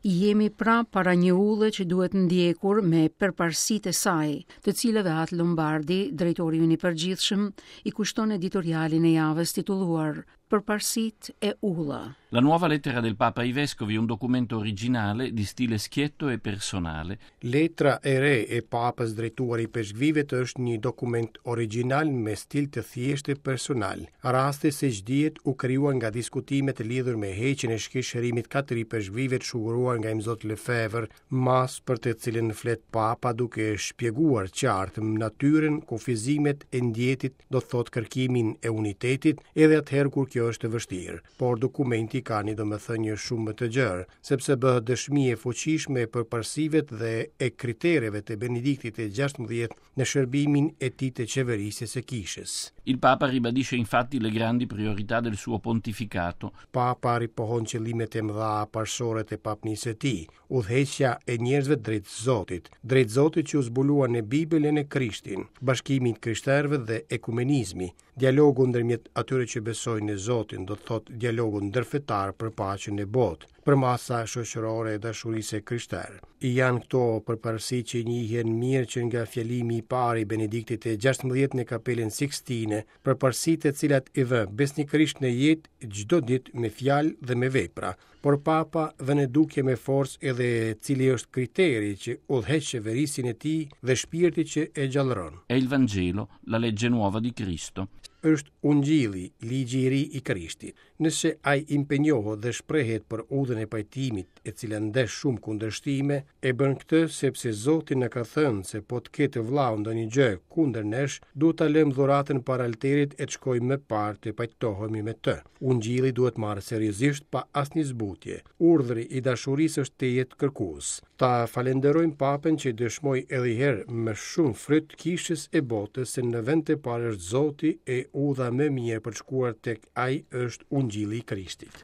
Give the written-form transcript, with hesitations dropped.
Jemi pra para një udhe që duhet ndjekur me përparësitë e saj, të cilave At Lombardi, drejtori ynë i përgjithshëm, i kushton editorialin e javës titulluar Përparësitë e Udha. La nuova lettera del Papa ai Vescovi è un documento originale di stile schietto e personale. Letra e re e Papës drejtuar ipeshkvijve është një dokument origjinal me stil të thjeshtë e personal. Rasti, siç dihet, u krijua nga diskutimet lidhur me heqjen e shkishërimit katër ipeshkvijve të shuguruar nga Imzot Lefebvre, masë për të cilën flet Papa duke shpjeguar qartë natyrën, kufizimet e ndjetit, do të thotë kërkimin e unitetit, edhe atëherë kur kjo është e vështirë. Por dokumenti ka një domethënie shumë më të gjerë, sepse bëhet dëshmi e fuqishme e përparësive dhe e kritereve të Benediktit të 16 në shërbimin e tij të qeverisjes së kishës. Il Papa ribadisce infatti le grandi priorità del suo pontificato. Papa ripohon qëllimet e mëdha parësore të papnisë së tij, udhëheqja e njerëzve drejt Zotit, drejt Zotit që u zbulua në Bibël e në Krishtin, bashkimi i të krishterëve dhe ekumenizmi, dialogu ndërmjet atyre që besojnë në Zotin, do të thotë dialogu ndërfetar për paqen në botë, përmasa shoqërore e dashurisë së krishterë. Janë këto përparësi që njihen mirë që nga fjalimi i parë i Benediktit të 16 në Kapelën Sixtine, përparësi të cilat i vë besnikërisht në jetë çdo ditë me fjalë dhe me vepra. Por Papa vë në dukje me forcë edhe cili është kriteri që udhëheq qeverisjen e tij dhe shpirti që e gjallëron. È il Vangelo, la legge nuova di Cristo. Është Ungjilli, ligji i ri i Krishtit. Nëse ai impenjohet dhe shprehet për udhën e pajtimit, e cila ndesh shumë kundërshtime, e bën këtë sepse Zoti na ka thënë se po të ketë vllau ndonjë gjë kundër nesh, duhet ta lëmë dhuratën para altarit e të shkojmë më parë të pajtohemi me të. Ungjilli duhet marrë seriozisht pa asnjë zbutje. Urdhri i dashurisë është tejet kërkues. Ta falënderojmë Papën që i dëshmoi edhe një herë me shumë fryt kishës e botës se në vend të parë është Zoti e udha më e mirë për të shkuar tek ai është Ungjilli i Krishtit.